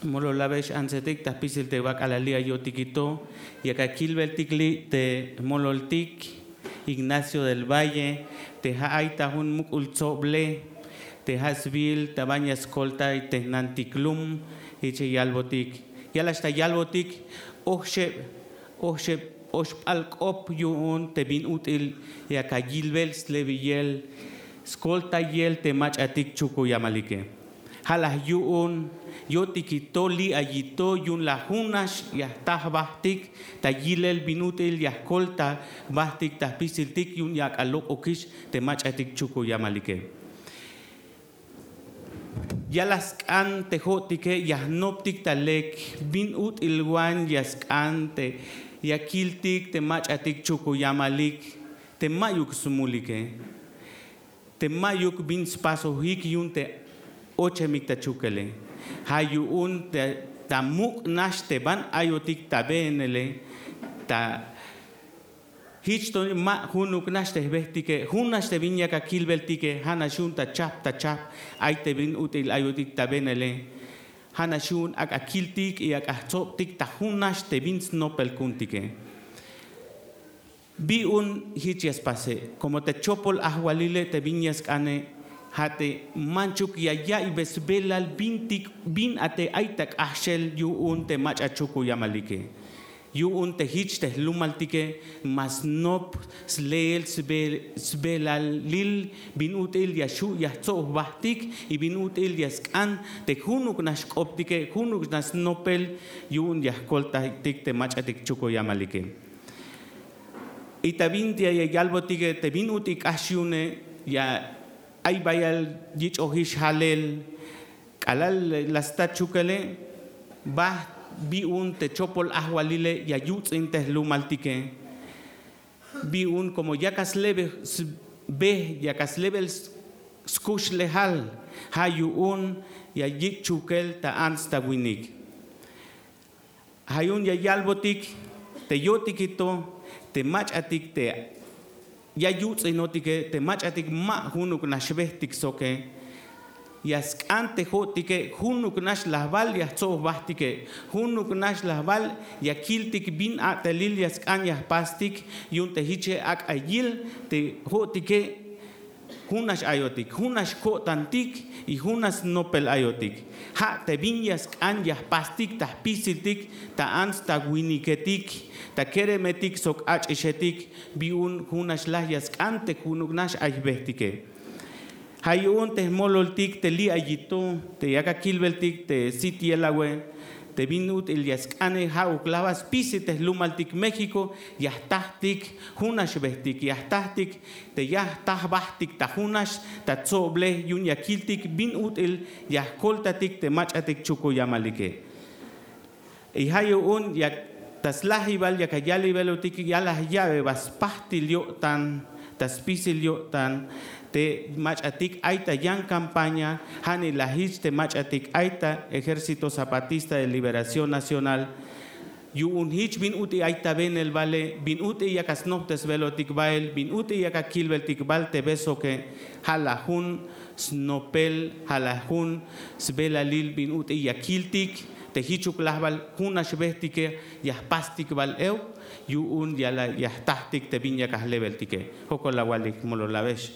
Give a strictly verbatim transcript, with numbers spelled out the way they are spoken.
Molol abex antsetik ta jpisil te wak'alal li' ayo'tiki to. Yak akilbeltik li' te jmololtik Ignacio del Valle, te ja' ay ta jun muk'ul tsoblej te ja' sbiil ta banti ya skoltay te jnantik lum. Jich ya yalbotik, yalaj ta yalbotik: oxeb, oxeb oxp'al k'op yu'un te bin ut'il yak ayilbel slebiyel skoltayel te mach'atik Chukuyamalike. Ja' la yu'un yo'tiki to li' ayi to yu'un la junax ya jta jbajtik ta yilel bin ut'il ya jkolta jbajtik ta jpisiltik yu'un ya ak'a lok'ukix te mach'atik Chukuyamalike. Ya la sk'an te jo'tike ya jnoptik ta lek bin ut'il wan ya sk'an te ya kiltik te mach'atik Chukuyamalik te ma'yuk smulike, te ma'yuk bin spasojik yu'un te ochemik ta Chukele. Ja' yu'un te ta muk' nax te ban ayotik ta beenele, ta jich to ma junuk nax te jbejtike, jun nax te bin yak akilbeltike, ja' nax yu'un ta chajp ta chajp ay te bin ut'il ayotik ta beenele. Ja' nax yu'un ak'a kiltik y ak'a jtsobtik ta jun nax te bin snopel ku'untike. Bi'un jich ya spase, como te chopol ajwalile te bin ya sk'ane, ja' te manchuk ya ya'iybel sbelal bintik bin a te ay ta k'ajxel yu'un te mach'a Chukuyamalike. Yu'un te jich te jlumaltike ma snop sleel sbe- sbelalil bin ut'il ya xju' ya jtsob jbajtik y bin ut'il ya sk'an te junuk nax k'optike, junuk nax snopel yu'un ya jkoltaytik te mach'atik Chukuyamalike. Y ta bin ya yalbotike te bin ut'il k'ax yu'une, ya ay bayal yich'ojix jalel. K'alal la sta Chukele, bajt bi'un te chopol ajwalile ya yuts'in te jlumaltike. Bi'un como yak a slebe sbe, yak a slebel skuxlejal, ja' yu'un ya yich' Chukel ta ants ta winik. Ja' yu'un ya yalbotik te yo'tiki to te mach'atik te ya yuts'inotike, te mach'atik ma junuk nax bejtik soke. Ya sk'an te jo'tike junuk nax lajbal ya jtsob jbajtike, junuk nax lajbal ya kiltik bin a'telil ya sk'an ya jpastik. Yu'un te jiche ak'a yil te jo'tike jun nax ayotik, jun nax ko'tantik y jun nax snopel ayotik. Ja' te bin ya sk'an ya jpastik ta jpisiltik, ta ants ta winiketik, ta keremetik sok ach'ixetik. Bi'un jun nax laj ya sk'an te junuk nax ay jbejtike. Ja' yu'un te jmololtik te li' ayi to te yak akilbeltik te sit yelawe, te bin ut'il ya sk'ane ja'uk lajbal spisil te jlumaltik México ya jtajtik jun nax bejtik, ya jtajtik te ya jta jbajtik ta jun nax ta tsoblej yu'un ya kiltik bin ut'il ya jkoltatik te mach'atik Chukuyamalike. Y ja' yu'un yak ta slajibal yak ayalibelotik ya la ya'be ba spajtil yo'tan ta spisil yo'tan te mach'atik ay ta yan campaña, ja'nila jich te mach'atik ay ta Ejército Zapatista de Liberación Nacional. Yu'un jich bin ut'il ay ta beenel bale, bin ut'il yak asnoptesbelotik bael, bin ut'il yak akilbeltik bal te be soke, ja' la jun snopel, ja' la jun sbelalil bin ut'il ya kiltik te jichuk lajbal jun nax bejtike ya jpastik bal euk yu'un ya la ya jtajtik te bin yak ajlebeltike. Jokol awalik molol abex.